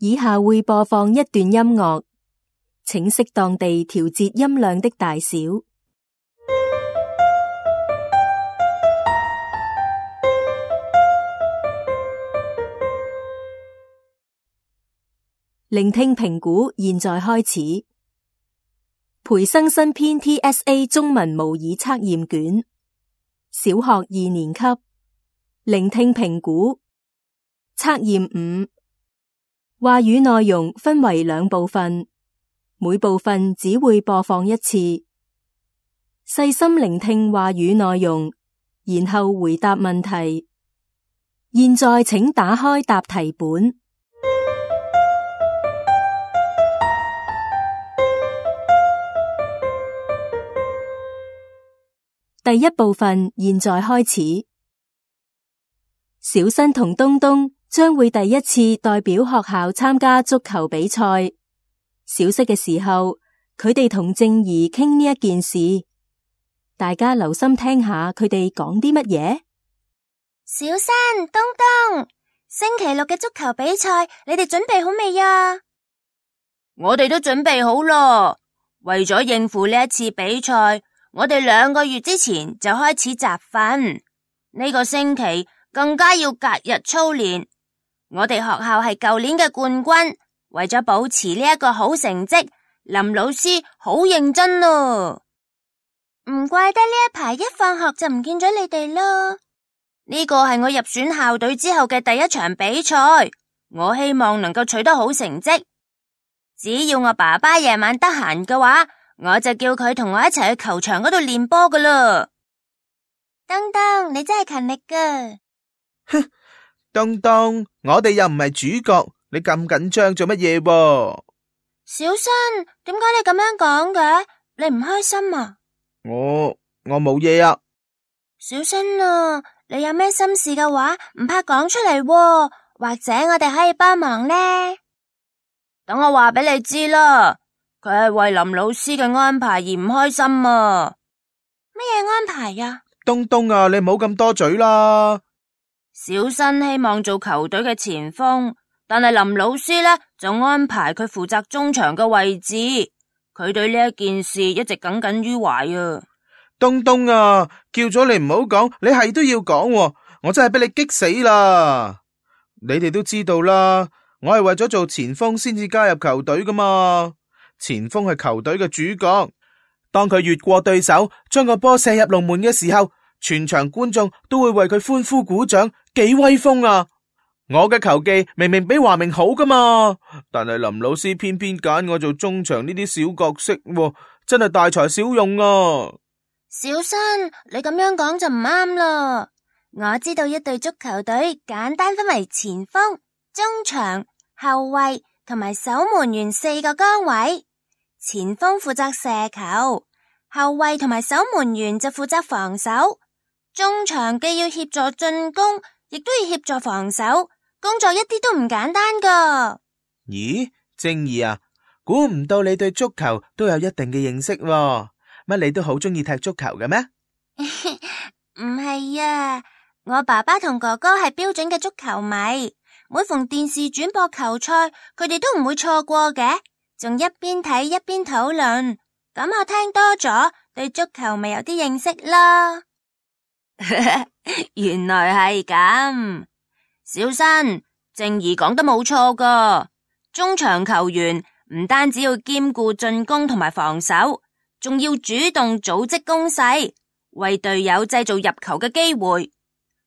以下會播放一段音樂，請適當地調節音量的大小。聆聽評估現在開始。培生新篇 TSA 中文模擬測驗卷，小學2年級。聆聽評估測驗5。話語內容分為2部分，每部分只會播放1次。細心聆聽話語內容，然後回答問題。現在請打開答題本。第1部分現在開始。小新同東東將會第一次代表學校參加足球比賽。小息嘅時候，佢哋同靜怡傾呢一件事。大家留心聽下佢哋講啲乜嘢。小新、東東，星期6嘅足球比賽，你哋準備好未啊？我哋都準備好咯。為咗應付呢一次比賽，我哋2個月之前就開始集訓，呢個星期更加要隔日操練。我哋學校係舊年嘅冠軍，為咗保持呢一個好成績，林老師好認真咯。唔怪得呢一排一放學就唔見咗你哋咯。呢個係我入選校隊之後嘅第一場比賽，我希望能夠取得好成績。只要我爸爸夜晚得閒嘅話，我就叫佢同我一齊去球場嗰度練波噶啦。東東，你真係勤力噶。哼，東東，我哋又唔係主角，你咁緊張做乜嘢噃？小新，點解你咁樣講嘅？你唔開心啊？我冇嘢啊。小新啊，你有咩心事嘅話，唔怕講出嚟喎，或者我哋可以幫忙呢。等我話俾你知啦。佢係為林老師嘅安排而唔開心啊！乜嘢安排呀？東東啊，你唔好咁多嘴啦。小新希望做球隊嘅前鋒，但係林老師呢就安排佢負責中場嘅位置。佢對呢一件事一直耿耿於懷啊！東東啊，叫咗你唔好講，你係都要講喎，我真係俾你激死啦！你哋都知道啦，我係為咗做前鋒先至加入球隊噶嘛。前鋒係球隊嘅主角，當佢越過對手，將個波射入龍門嘅時候，全場觀眾都會為佢歡呼鼓掌，幾威風啊！我嘅球技明明比華明好噶嘛，但係林老師偏偏揀我做中場呢啲小角色，真係大材小用啊！小新，你咁樣講就唔啱啦。我知道一隊足球隊簡單分為前鋒、中場、後衛同埋守門員4個崗位。前鋒負責射球，後衛同埋守門員就負責防守。中場既要協助進攻，亦都要協助防守，工作一啲都唔簡單噶。咦，正義啊，估唔到你對足球都有一定嘅認識喎，乜你都好中意踢足球嘅咩？唔係啊，我爸爸同哥哥係標準嘅足球迷，每逢電視轉播球賽，佢哋都唔會錯過嘅，仲一邊睇一邊討論。咁我聽多咗，對足球咪有啲認識啦。原來係咁，小新，靜怡講得冇錯噶。中場球員唔單止要兼顧進攻同埋防守，仲要主動組織攻勢，為隊友製造入球嘅機會。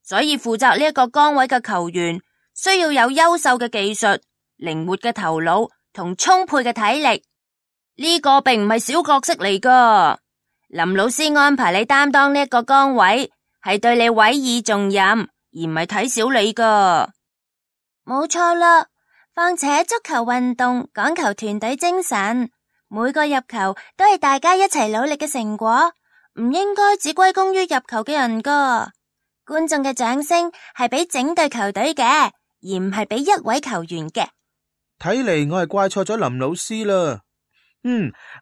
所以負責呢一個崗位嘅球員，需要有優秀嘅技術、靈活嘅頭腦同充沛嘅體力。呢個並唔係小角色嚟噶。林老師安排你擔當呢一個崗位，係對你委以重任，而唔係睇小你噶。冇錯啦，況且足球運動講求團隊精神，每個入球都係大家一齊努力嘅成果，唔應該只歸功於入球嘅人噶。觀眾嘅掌聲係俾整隊球隊嘅，而唔係俾一位球員嘅。睇嚟我係怪錯咗林老師啦。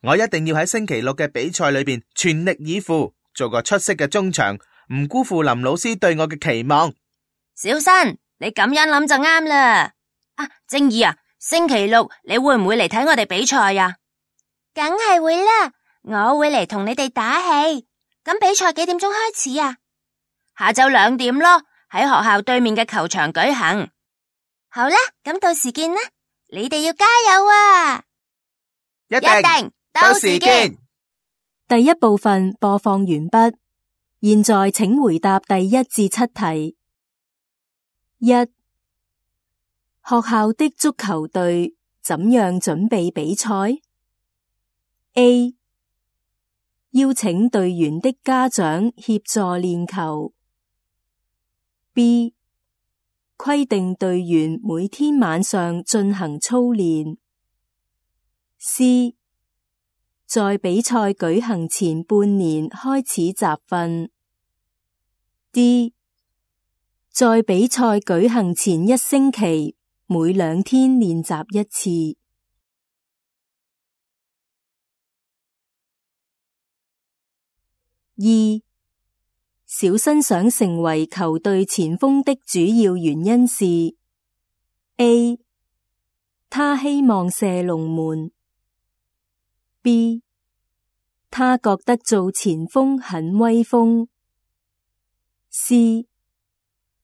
我一定要喺星期6嘅比賽裏邊全力以赴，做個出色嘅中場，唔辜負林老師對我嘅期望。小新，你咁樣諗就啱啦。正義啊，星期六你會唔會嚟睇我哋比賽呀？梗係會啦，我會嚟同你哋打氣。咁比賽幾點鐘開始啊？下晝2點咯，喺學校對面嘅球場舉行。好啦，咁到時見啦，你哋要加油啊！一定，到時見。第一部分播放完畢，現在請回答第1至7題。1. 學校的足球隊怎樣準備比賽？ A. 邀請隊員的家長協助練球。 B. 規定隊員每天晚上進行操練。 C. 在比賽舉行前半年開始集訓。 D. 在比賽舉行前1星期每2天練習1次。2. 小新想成為球隊前鋒的主要原因是 A. 他希望射龍門。 B. 他覺得做前鋒很威風。 C.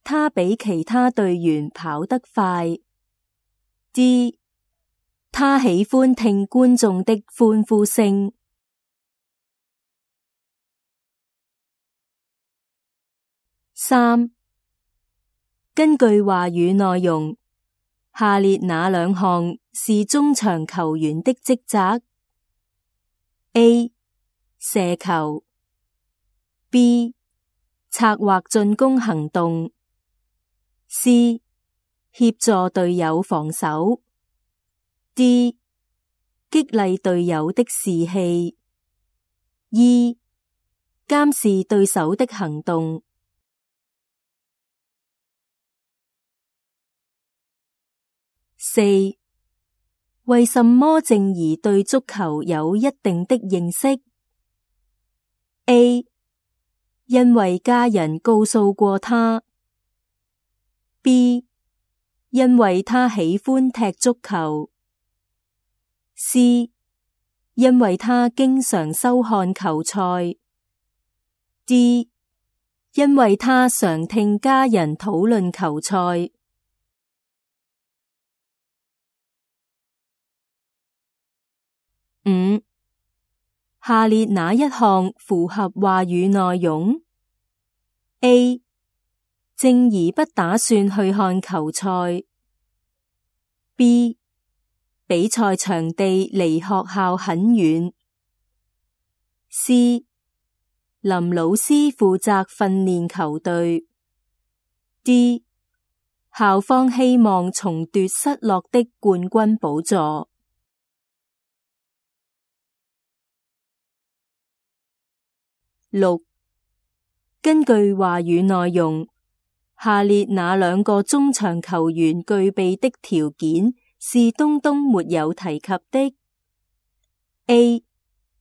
他比其他隊員跑得快。 D. 他喜歡聽觀眾的歡呼聲。3. 根據話語內容，下列哪2項是中場球員的職責？ A. 射球。 B. 策劃進攻行動。 C. 協助隊友防守。 D. 激勵隊友的士氣。 E. 監視對手的行動。4. 為什麼靜怡對足球有一定的認識？ A. 因為家人告訴過她。 B. 因為她喜歡踢足球。 C. 因為她經常收看球賽。 D. 因為她常聽家人討論球賽。5. 下列哪一項符合話語內容？ A. 靜怡不打算去看球賽。 B. 比賽場地離學校很遠。 C. 林老師負責訓練球隊。 D. 校方希望重奪失落的冠軍寶座。6. 根據話語內容，下列哪2個中場球員具備的條件是東東沒有提及的？ A.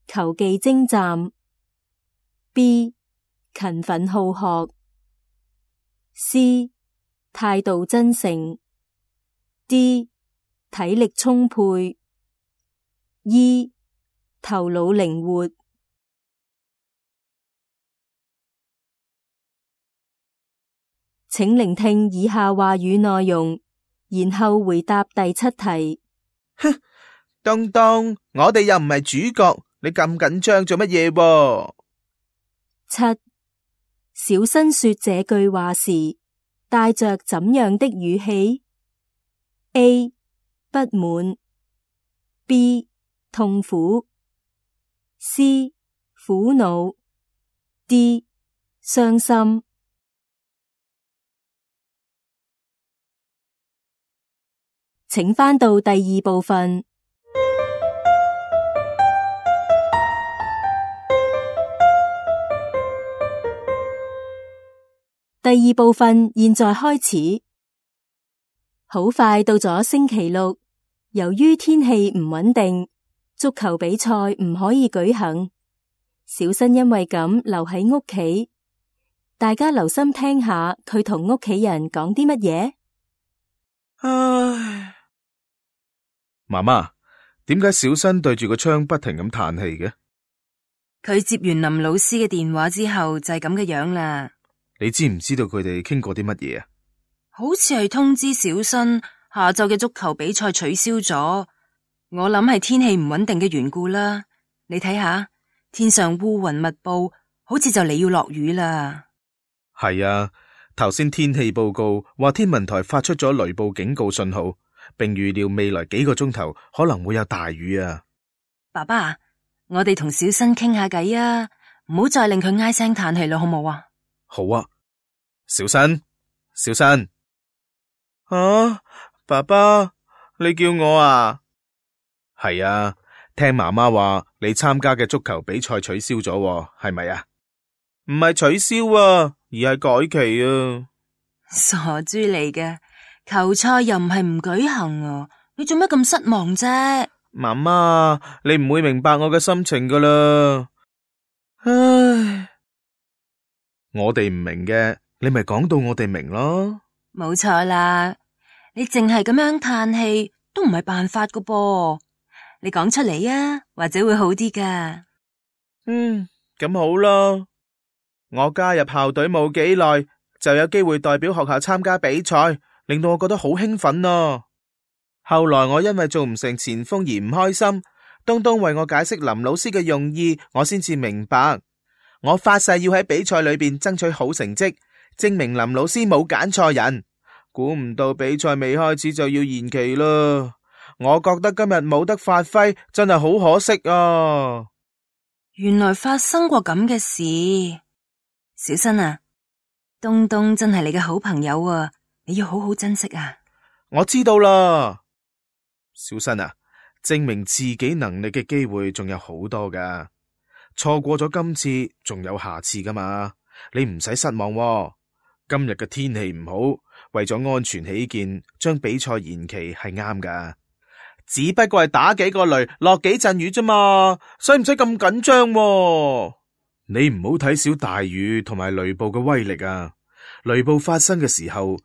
球技精湛。 B. 勤奮好學。 C. 態度真誠。 D. 體力充沛。 E. 頭腦靈活。請聆聽以下話語內容，然後回答第7題。哼，東東，我哋又唔係主角，你咁緊張做乜嘢喎？7. 小新說這句話時，帶着怎樣的語氣？ A. 不滿。 B. 痛苦。 C. 苦惱。 D. 傷心。請返到第2部分。第2部分現在開始。好快到咗星期六，由於天氣唔穩定，足球比賽唔可以舉行。小新因為咁留喺屋企，大家留心聽下佢同屋企人講啲乜嘢。唉。媽媽，點解小新對住個窗不停咁嘆氣嘅？佢接完林老師嘅電話之後就係咁嘅樣啦。你知唔知道佢哋傾過啲乜嘢啊？好似係通知小新下晝嘅足球比賽取消咗，我諗係天氣唔穩定嘅緣故啦。你睇下，天上烏雲密布，好似就嚟要落雨啦。係啊，頭先天氣報告話天文台發出咗雷暴警告信號，並預料未來幾個鐘頭可能會有大雨啊。爸爸，我哋同小新傾下偈啊，唔好再令佢唉聲嘆氣啦，好冇啊？好啊，小新，小新。啊，爸爸，你叫我啊？係啊，聽媽媽話你參加嘅足球比賽取消咗，係咪啊？唔係取消啊，而係改期啊。傻豬嚟嘅，球賽又唔係唔舉行啊，你做咩咁失望啫？媽媽，你唔會明白我嘅心情噶啦。唉，我哋唔明嘅，你咪講到我哋明咯。冇錯啦，你淨係咁樣嘆氣都唔係辦法噶噃，你講出嚟啊，或者會好啲噶。咁好啦。我加入校隊冇幾耐，就有機會代表學校參加比賽，令到我覺得好興奮啊。後來我因為做唔成前鋒而唔開心，東東為我解釋林老師嘅用意，我先至明白。我發誓要喺比賽裏邊爭取好成績，證明林老師冇揀錯人。估唔到比賽未開始就要延期啦，我覺得今日冇得發揮，真係好可惜啊。原來發生過咁嘅事，小新啊，東東真係你嘅好朋友啊，你要好好珍惜啊。我知道啦，小新啊，證明自己能力嘅機會仲有好多噶，錯過咗今次仲有下次噶嘛，你唔使失望喎。今日嘅天氣唔好，為咗安全起見，將比賽延期係啱噶。只不過係打幾個雷，落幾陣雨啫嘛，使唔使咁緊張喎？你唔好睇小大雨同埋雷暴嘅威力啊！雷暴發生嘅時候，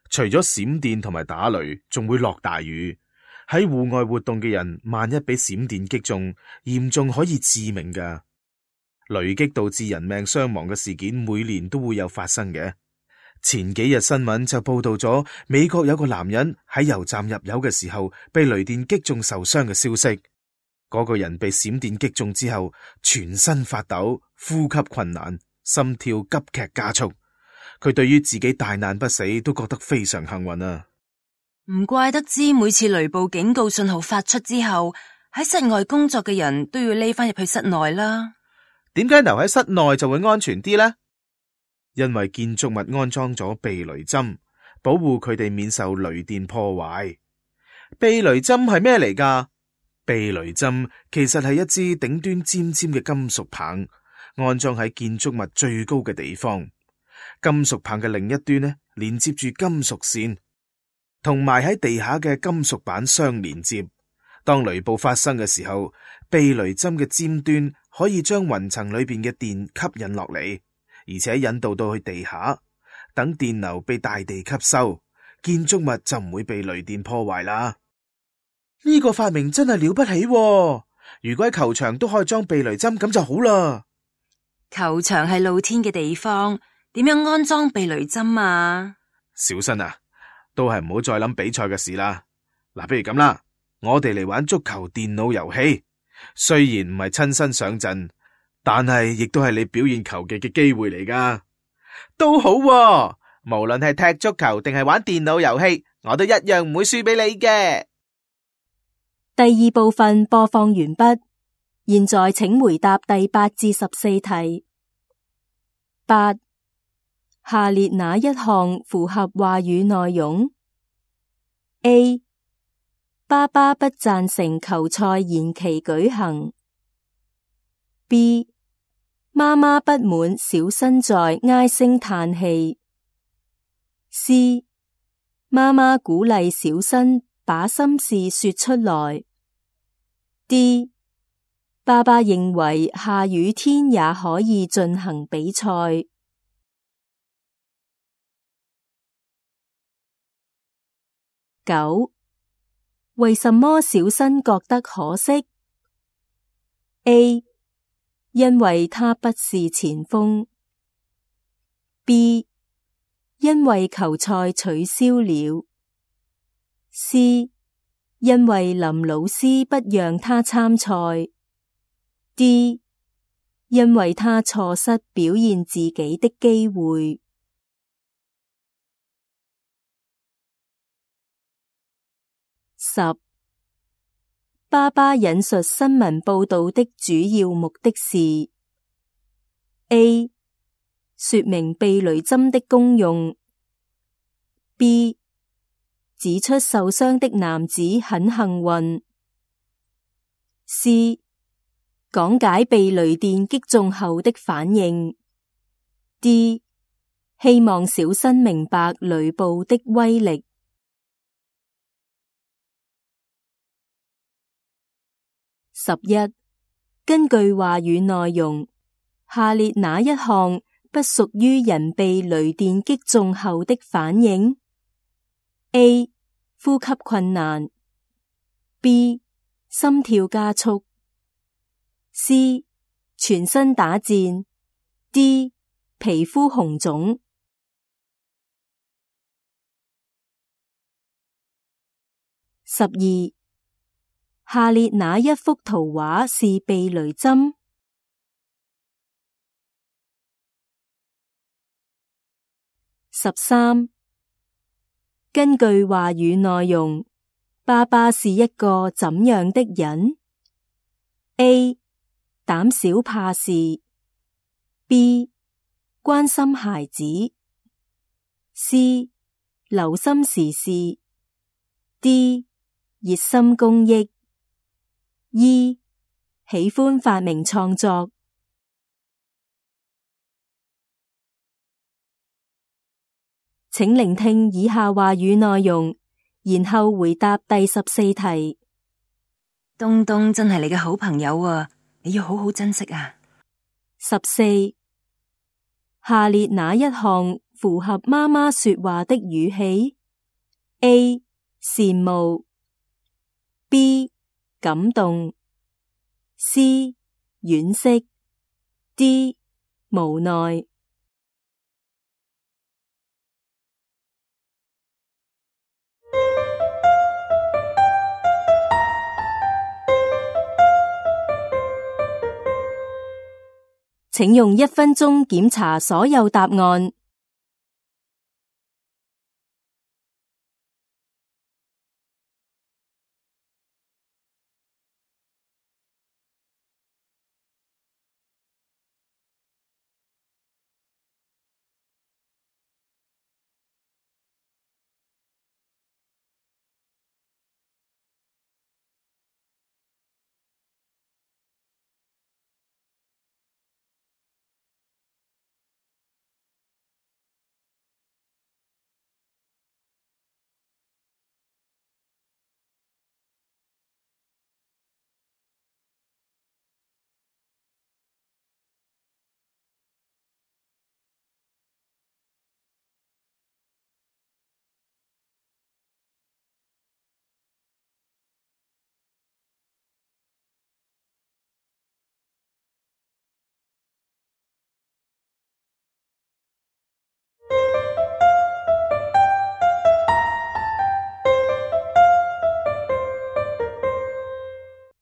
除咗閃電同埋打雷，仲會落大雨。喺戶外活動嘅人，萬一俾閃電擊中，嚴重可以致命噶。雷擊導致人命傷亡嘅事件，每年都會有發生嘅。前幾日新聞就報道咗美國有個男人喺油站入油嘅時候被雷電擊中受傷嘅消息。嗰個人被閃電擊中之後，全身發抖，呼吸困難，心跳急劇加速。佢對於自己大難不死都覺得非常幸運啊！唔怪得知每次雷暴警告信號發出之後，喺室外工作嘅人都要匿翻入去室內啦。點解留喺室內就會安全啲呢？因為建築物安裝咗避雷針，保護佢哋免受雷電破壞。避雷針係咩嚟㗎？避雷針其實係一支頂端尖尖嘅金屬棒，安裝喺建築物最高嘅地方。金屬棒嘅另一端呢，連接住金屬線，同埋喺地下嘅金屬板相連接。當雷暴發生嘅時候，避雷針嘅尖端可以將雲層裏邊嘅電吸引落嚟，而且引導到去地下，等電流被大地吸收，建築物就唔會被雷電破壞啦。呢個發明真係了不起喎！如果喺球場都可以裝避雷針，咁就好啦。球場係露天嘅地方，點樣安裝避雷針啊？小新啊，都係唔好再諗比賽嘅事啦。嗱，不如咁啦，我哋嚟玩足球電腦遊戲。雖然唔係親身上陣，但係亦都係你表現球技嘅機會嚟噶。都好喎，無論係踢足球定係玩電腦遊戲，我都一樣唔會輸俾你嘅。第二部分播放完畢，現在請回答第8至14題。8. 下列哪一項符合話語內容？ A. 爸爸不贊成球賽延期舉行。 B. 媽媽不滿小新在唉聲嘆氣。 C. 媽媽鼓勵小新把心事說出來。 D. 爸爸認為下雨天也可以進行比賽。9. 為什麼小新覺得可惜 ？A. 因為他不是前鋒。B. 因為球賽取消了。C. 因為林老師不讓他參賽。D. 因為他錯失表現自己的機會。10. 爸爸引述新聞報道的主要目的是 A. 說明避雷針的功用。B. 指出受傷的男子很幸運。C. 講解被雷電擊中後的反應。D. 希望小新明白雷暴的威力。11. 根據話語內容，下列哪一項不屬於人被雷電擊中後的反應 ？A. 呼吸困難。B. 心跳加速。C. 全身打顫。D. 皮膚紅腫。12. 下列哪一幅圖畫是避雷針？13. 根據話語內容，爸爸是一個怎樣的人 ？A. 膽小怕事。B. 關心孩子。C. 留心時事。D. 熱心公益。E. 喜歡發明創作。請聆聽以下話語內容，然後回答第14題。東東真係你嘅好朋友啊，你要好好珍惜啊。14. 下列哪一項符合媽媽說話的語氣 ？A. 羨慕。B. 感動。C. 惋惜。D. 無奈。請用1分鐘檢查所有答案。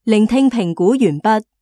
聆聽評估完畢。